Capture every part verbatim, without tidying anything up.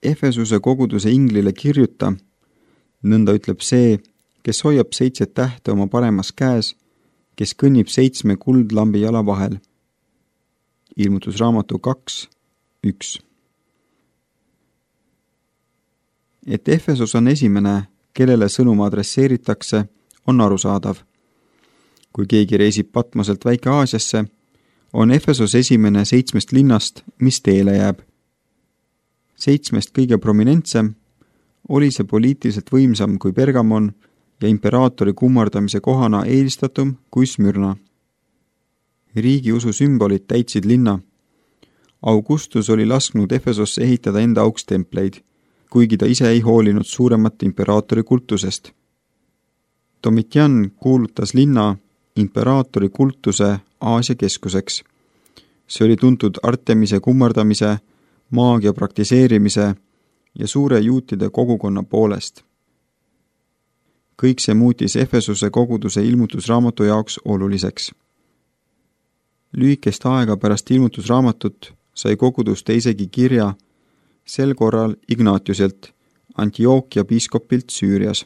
Efesuse koguduse inglile kirjuta, nõnda ütleb see, kes hoiab seitse tähte oma paremas käes, kes kõnnib seitsme kuldlambi jala vahel. Ilmutusraamatu kaks, üks. Et Efesos on esimene, kellele sõnum adresseeritakse, on arusaadav. Kui keegi reisib Patmoselt Väike-Aasiasse, on Efesos esimene seitsmest linnast, mis teele jääb. Seitsmest kõige prominentsem oli see poliitiliselt võimsam kui Pergamon ja imperaatori kummardamise kohana eelistatum kui Smyrna. Riigi usu sümbolid täitsid linna. Augustus oli lasknud Efesosse ehitada enda auks templeid, kuigi ta ise ei hoolinud suuremat imperaatori kultusest. Domitian kuulutas linna imperaatori kultuse Aasia keskuseks. See oli tuntud Artemise kummardamise, maagia praktiseerimise ja suure juutide kogukonna poolest. Kõik see muutis Efesuse koguduse ilmutusraamatu jaoks oluliseks. Lühikest aega pärast ilmutusraamatut sai kogudus teisegi kirja, sel korral Ignatiuselt, Antiochia piiskopilt Süürias.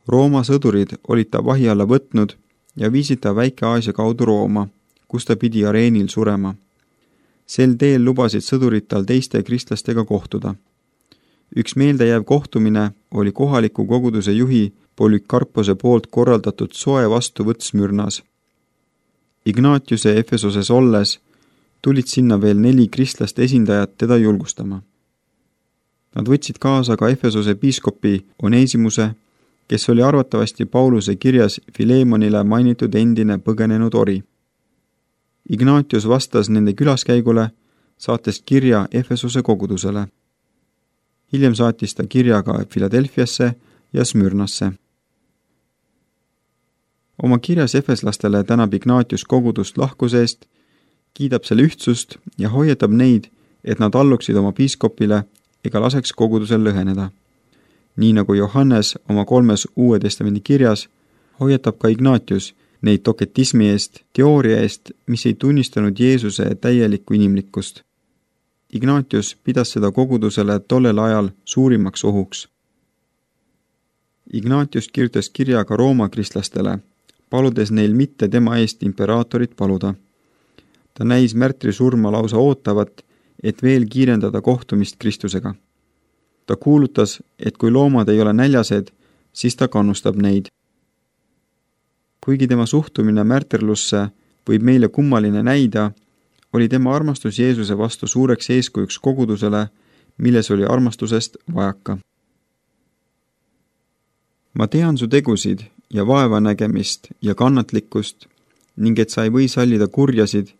Rooma sõdurid olid ta vahi alla võtnud ja viisid ta Väike-Aasia kaudu Rooma, kus ta pidi areenil surema. Sel teel lubasid sõdurid tal teiste kristlastega kohtuda. Üks meeldejääv kohtumine oli kohaliku koguduse juhi Polükarpose poolt korraldatud soe vastuvõtt Smyrnas. Ignatiuse Efesoses olles tulid sinna veel neli kristlast esindajat teda julgustama. Nad võtsid kaasa ka Efesose piiskopi Onesimuse, kes oli arvatavasti Pauluse kirjas Filemonile mainitud endine põgenenud ori. Ignatius vastas nende külaskäigule, saates kirja Efesose kogudusele. Hiljem saatis ta kirja ka Filadelfiasse ja Smyrnasse. Oma kirjas efeslastele tänab Ignatius kogudust lahkuse eest, kiidab selle ühtsust ja hoiatab neid, et nad alluksid oma piiskopile ega laseks kogudusel lõheneda. Nii nagu Johannes oma kolmes Uue Testamendi kirjas, hoiatab ka Ignatius neid doketismi eest, teooria eest, mis ei tunnistanud Jeesuse täielikku inimlikkust. Ignatius pidas seda kogudusele tollel ajal suurimaks ohuks. Ignatius kirjutas kirja ka Rooma kristlastele, paludes neil mitte tema eest imperaatorit paluda. Ta näis märtri surma lausa ootavat, et veel kiirendada kohtumist Kristusega. Ta kuulutas, et kui loomad ei ole näljased, siis ta kannustab neid. Kuigi tema suhtumine märterlusse võib meile kummaline näida, oli tema armastus Jeesuse vastu suureks eeskujuks kogudusele, milles oli armastusest vajaka. Ma tean su tegusid ja vaevanägemist ja kannatlikkust, ning et sa ei või sallida kurjasid,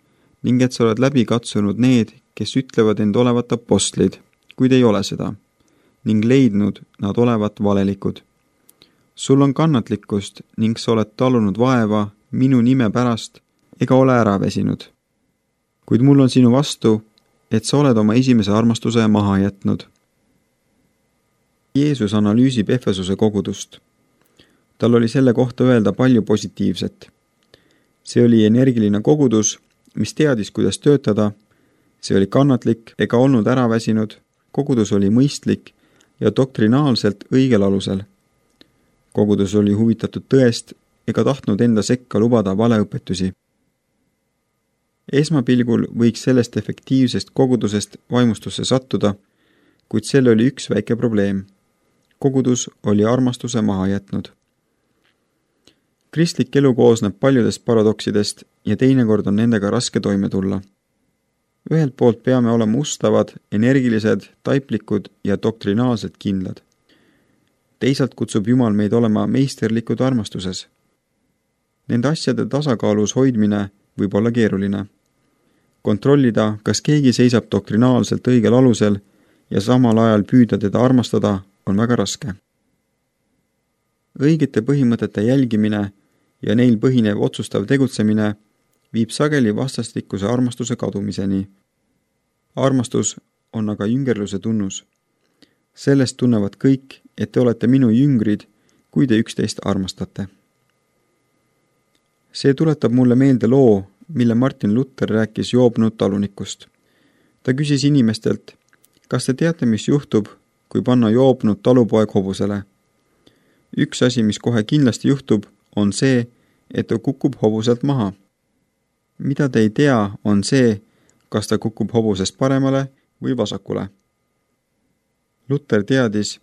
ning et sa oled läbi katsunud need, kes ütlevad end olevat apostlid, kuid ei ole seda, ning leidnud nad olevat valelikud. Sul on kannatlikkust ning sa oled talunud vaeva minu nime pärast ega ole ära väsinud. Kuid mul on sinu vastu, et sa oled oma esimese armastuse maha jätnud. Jeesus analüüsib Efesose kogudust. Tal oli selle kohta öelda palju positiivset. See oli energiline kogudus, mis teadis, kuidas töötada, see oli kannatlik ega olnud ära väsinud, kogudus oli mõistlik ja doktrinaalselt õigel alusel. Kogudus oli huvitatud tõest ega tahtnud enda sekka lubada valeõpetusi. Esmapilgul võiks sellest efektiivsest kogudusest vaimustusse sattuda, kuid selle oli üks väike probleem. Kogudus oli armastuse maha jätnud. Kristlik elu koosneb paljudest paradoksidest ja teinekord on nendega raske toime tulla. Ühelt poolt peame olema ustavad, energilised, taiplikud ja doktrinaalselt kindlad. Teisalt kutsub Jumal meid olema meisterlikud armastuses. Nende asjade tasakaalus hoidmine võib olla keeruline. Kontrollida, kas keegi seisab doktrinaalselt õigel alusel ja samal ajal püüda teda armastada, on väga raske. Õigete põhimõtete jälgimine ja neil põhinev otsustav tegutsemine viib sageli vastastikuse armastuse kadumiseni. Armastus on aga jüngerluse tunnus. Sellest tunnevad kõik, et te olete minu jüngrid, kui te üksteist armastate. See tuletab mulle meelde loo, mille Martin Luther rääkis joobnud talunikust. Ta küsis inimestelt, Kas te teate, mis juhtub, kui panna joobnud talupoeg hobusele? Üks asi, mis kohe kindlasti juhtub, on see, et ta kukub hobuselt maha. Mida te ei tea, on see, kas ta kukub hobusest paremale või vasakule. Luther teadis,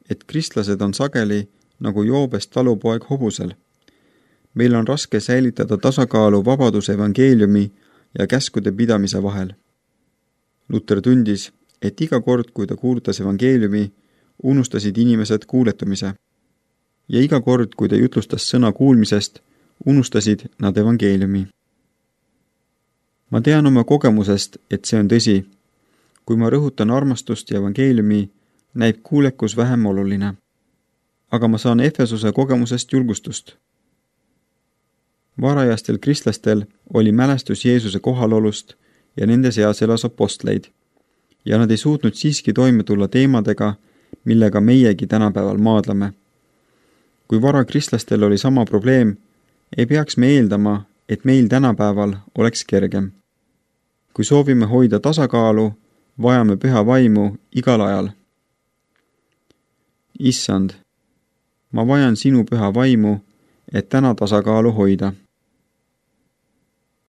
et kristlased on sageli nagu joobest talupoeg hobusel. Meil on raske säilitada tasakaalu vabaduse evangeeliumi ja käskude pidamise vahel. Luther tundis, et iga kord, kui ta kuulutas evangeeliumi, unustasid inimesed kuuletumise. Ja iga kord, kui ta jutlustas sõna kuulmisest, unustasid nad evangeeliumi. Ma tean oma kogemusest, et see on tõsi. Kui ma rõhutan armastust ja evangeeliumi, näib kuulekus vähem oluline. Aga ma saan Efesuse kogemusest julgustust. Varajastel kristlastel oli mälestus Jeesuse kohalolust ja nende seas elas apostleid. Ja nad ei suutnud siiski toime tulla teemadega, millega meiegi tänapäeval maadleme. Kui vara kristlastel oli sama probleem, ei peaks me eeldama, et meil tänapäeval oleks kergem. Kui soovime hoida tasakaalu, vajame püha vaimu igal ajal. Issand, ma vajan sinu püha vaimu, et täna tasakaalu hoida.